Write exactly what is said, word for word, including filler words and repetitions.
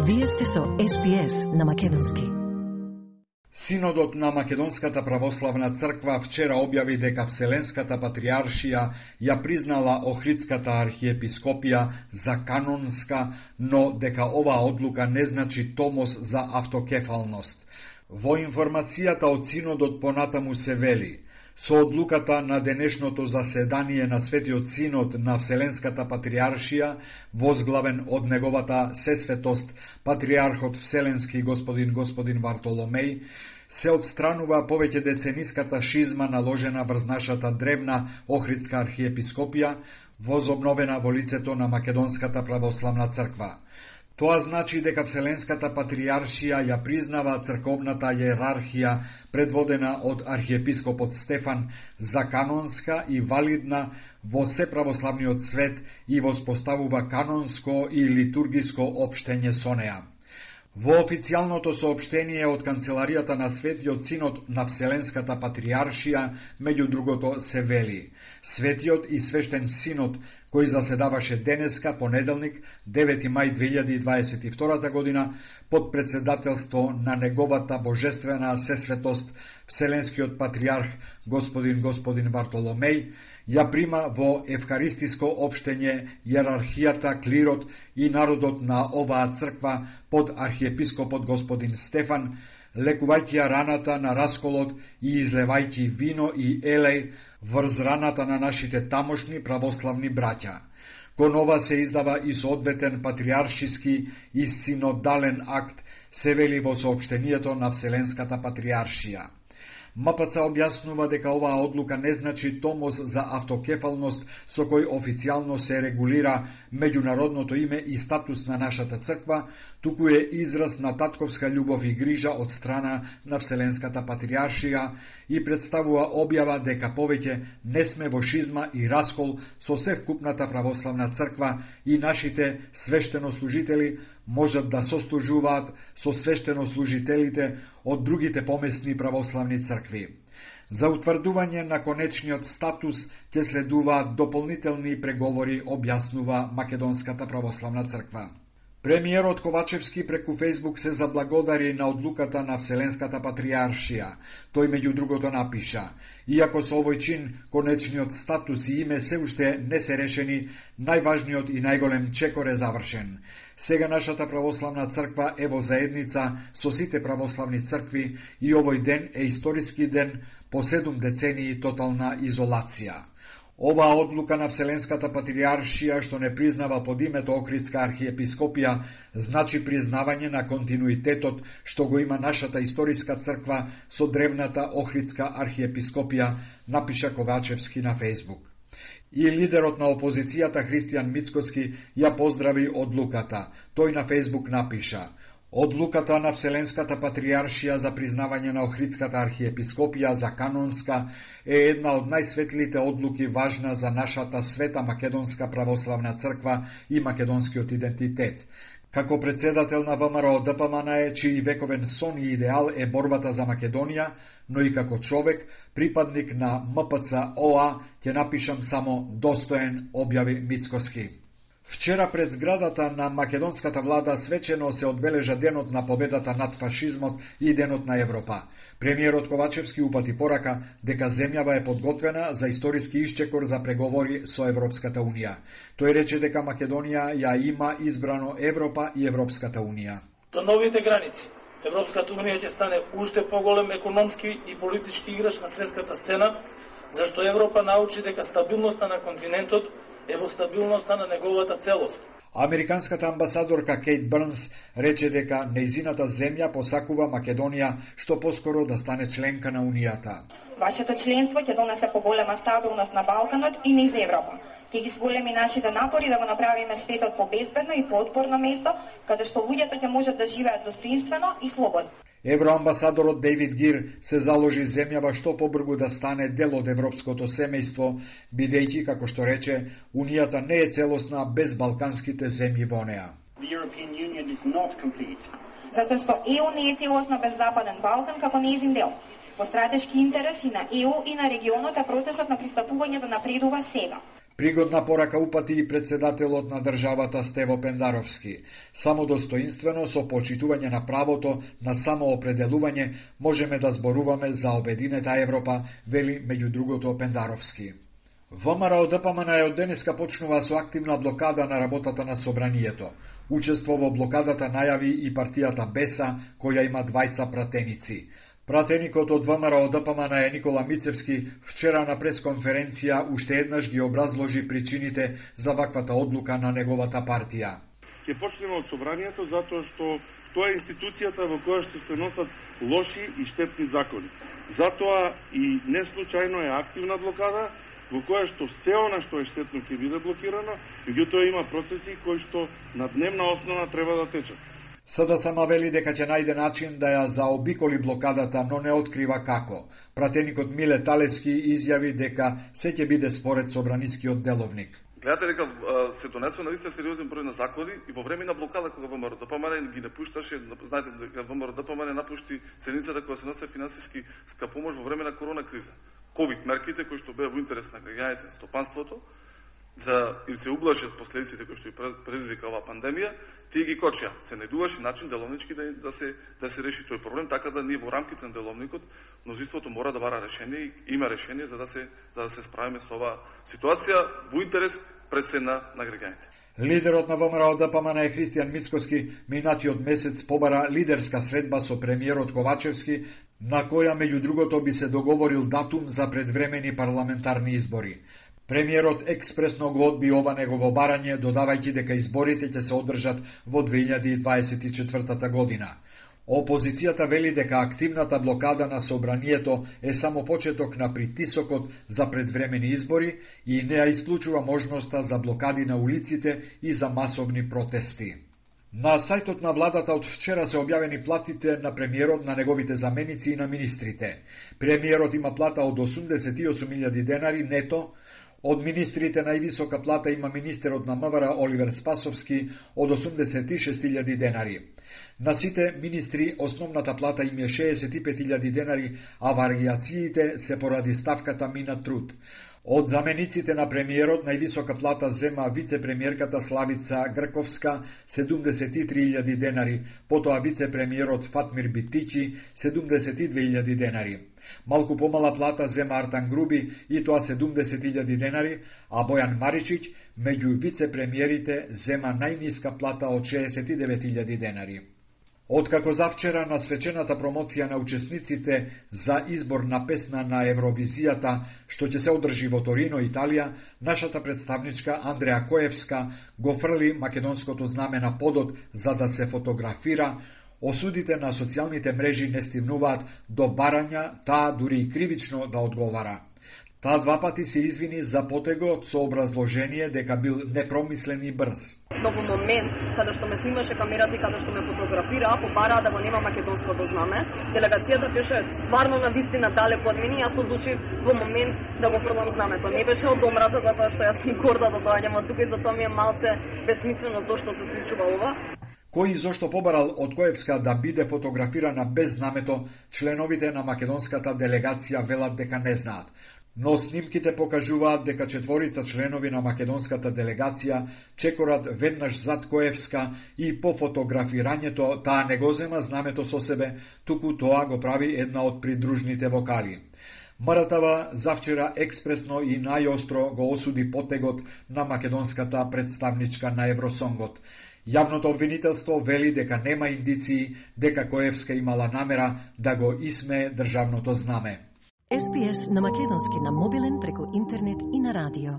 Вие сте со Ес Би Ес на македонски. Синодот на Македонската православна црква вчера објави дека Вселенската патријаршија ја признала Охридската архиепископија за канонска, но дека оваа одлука не значи томос за автокефалност. Во информацијата од Синодот понатаму се вели: со одлуката на денешното заседание на Светиот Синод на Вселенската патријаршија, возглавен од неговата сесветост патријархот Вселенски господин господин Вартоломеј, се отстранува повеќе децениската шизма наложена врз нашата древна Охридска архиепископија, возобновена во лицето на Македонската православна црква. Тоа значи дека Вселенската патријаршија ја признава црковната иерархија предводена од архиепископот Стефан за канонска и валидна во се православниот свет и воспоставува канонско и литургиско општење со неа. Во официјалното соопштение од Канцеларијата на Светиот Синод на Вселенската патријаршија, меѓу другото, се вели: Светиот и свештен Синод, кој заседаваше денеска, понеделник, девети мај две илјади дваесет и втора година, под председателство на неговата божествена сесветост Вселенскиот патријарх господин господин Вартоломеј, ја прима во евхаристиско општење иерархијата, клирот и народот на оваа црква под архиепископот господин Стефан, лекувајќи ја раната на расколот и излевајќи вино и елеј врз раната на нашите тамошни православни браќа. Кон ова се издава и соодветен патријаршиски и синодален акт, се вели во соопштението на Вселенската патријаршија. МПЦ објаснува дека оваа одлука не значи томос за автокефалност со кој официјално се регулира меѓународното име и статус на нашата црква, туку е израз на татковска љубов и грижа од страна на Вселенската патријаршија и представува објава дека повеќе не сме во шизма и раскол со севкупната православна црква и нашите свештенослужители можат да сослужуваат со свештенослужителите од другите помесни православни цркви. За утврдување на конечниот статус ќе следуваат дополнителни преговори, објаснува Македонската православна црква. Премиерот Ковачевски преку Фејсбук се заблагодари на одлуката на Вселенската патријаршија. Тој меѓу другото напиша: иако со овој чин конечниот статус и име се уште не се решени, најважниот и најголем чекор е завршен. Сега нашата православна црква е во заедница со сите православни цркви и овој ден е историски ден по седум децении тотална изолација. Оваа одлука на Вселенската патријаршија, што не признава под името Охридска архиепископија, значи признавање на континуитетот што го има нашата историска црква со древната Охридска архиепископија, напиша Ковачевски на Фејсбук. И лидерот на опозицијата Христијан Мицкоски ја поздрави одлуката. Тој на Фејсбук напиша: одлуката на Вселенската патријаршија за признавање на Охридската архиепископија за канонска е една од најсветлите одлуки важна за нашата света македонска православна црква и македонскиот идентитет. Како председател на ВМРО Д П М Н Е, чиј вековен сон и идеал е борбата за Македонија, но и како човек, припадник на М П Ц О А, ќе напишам само достоен, објави Мицкоски. Вчера пред зградата на македонската влада свечено се одбележа денот на победата над фашизмот и денот на Европа. Премиерот Ковачевски упати порака дека земјава е подготвена за историски исчекор за преговори со Европската унија. Тој рече дека Македонија ја има избрано Европа и Европската унија. За новите граници, Европската унија ќе стане уште поголем економски и политички играч на светската сцена, зашто Европа научи дека стабилноста на континентот е во стабилноста на неговата целост. Американската амбасадорка Кейт Брнс рече дека нејзината земја посакува Македонија што поскоро да стане членка на Унијата. Вашето членство ќе донесе поголема стабилност на Балканот и низ Европа. Ќе ги зголеми нашите напори да го направиме светот побезбедно и поотпорно место, каде што луѓето ќе можат да живеат достоинствено и слободно. Евроамбасадорот Дейвид Гир се заложи земјава што побргу да стане дел од европското семејство, бидејќи, како што рече, Унијата не е целосна без балканските земји во неа. Затоа што Е У не е целосна без Западен Балкан како нејзин дел. По стратешки интереси на Е У и на регионот е процесот на пристапување да напредува сега. Пригодна порака упати и председателот на државата Стево Пендаровски. Само достоинствено со почитување на правото на самоопределување можеме да зборуваме за обединета Европа, вели меѓу другото Пендаровски. ВМРО ДПМН од денеска почнува со активна блокада на работата на собранието. Учество во блокадата најави и партијата Беса, која има двајца пратеници. Пратеникот од ВМРО ДПМН е Никола Мицевски вчера на пресконференција уште еднаш ги образложи причините за ваквата одлука на неговата партија. Ќе почнеме од собранието затоа што тоа е институцијата во која што се носат лоши и штетни закони. Затоа и не случајно е активна блокада во која што се она што е штетно ќе биде блокирано, меѓутоа има процеси кои што на дневна основа треба да течат. СДСМ вели дека ќе најде начин да ја заобиколи блокадата, но не открива како. Пратеникот Миле Талески изјави дека се ќе биде според собранискиот деловник. Гледате дека се донесува на вистина сериозен број на закони и во време на блокада кога ВМРО ДПМН ги напушташе, знаете дека ВМРО ДПМН напушти седницата кога се носи финансиски скапомош во време на корона криза. ковид мерките кои што беа во интерес на граѓаните, на стопанството, за им се ублажат последиците кои што ја предизвика оваа пандемија, тие ги кочија. Се најдуваше начин деловнички да, да се да се реши тој проблем, така да ние во рамките на деловникот мнозинството мора да бара решение и има решение за да се за да се справиме со оваа ситуација во интерес пред се на, на граѓаните. Лидерот на ВМРО ДПМН е Христијан Мицкоски минатиот месец побара лидерска средба со премиерот Ковачевски, на која меѓу другото би се договорил датум за предвремени парламентарни избори. Премиерот експресно го одби ова негово барање, додавајќи дека изборите ќе се одржат во две илјади дваесет и четвртата година. Опозицијата вели дека активната блокада на собранието е само почеток на притисокот за предвремени избори и не ја исклучува можноста за блокади на улиците и за масовни протести. На сајтот на владата од вчера се објавени платите на премиерот, на неговите заменици и на министрите. Премиерот има плата од осумдесет и осум илјади денари нето. Од министрите највисока плата има министерот на МВР Оливер Спасовски од осумдесет и шест илјади денари. На сите министри основната плата им е шеесет и пет илјади денари, а варијациите се поради ставката мина труд. Од замениците на премиерот највисока плата зема вице-премиерката Славица Грковска седумдесет и три илјади денари, потоа вице-премиерот Фатмир Битичи седумдесет и две илјади денари. Малку помала плата зема Артан Груби и тоа седумдесет илјади денари, а Бојан Маричиќ меѓу вице-премиерите зема најниска плата од шеесет и девет илјади денари. Откако завчера на свечената промоција на учесниците за избор на песна на Евровизијата, што ќе се одржи во Торино, Италија, нашата представничка Андреа Коевска го фрли македонското знаме на подот за да се фотографира. Осудите на социјалните мрежи не стигнуваат до барања, таа дури и кривично да одговара. Таа два пати се извини за потегот со образложение дека бил непромислен и брз. Но во момент каде што ме снимаше камерата и каде што ме фотографира, побараа да го нема македонското знаме, делегацијата беше стварно на вистина далеко од мене и јас одлучив во момент да го фрлам знамето. Не беше од омраза затоа што јас сум горда да доаѓам од тука и затоа ми е малце безсмислено зошто се случува ова. Кој и зошто побарал од Коевска да биде фотографирана без знамето, членовите на македонската делегација велат дека не знаат. Но снимките покажуваат дека четворица членови на македонската делегација чекорат веднаш зад Коевска и по фотографирањето таа не го зема знамето со себе, туку тоа го прави една од придружните вокали. МРТВ завчера експресно и најостро го осуди потегот на македонската представничка на Евросонгот. Јавното обвинителство вели дека нема индиции дека Коевска имала намера да го исмее државното знаме. Ес Би Ес на македонски на мобилен преку интернет и на радио.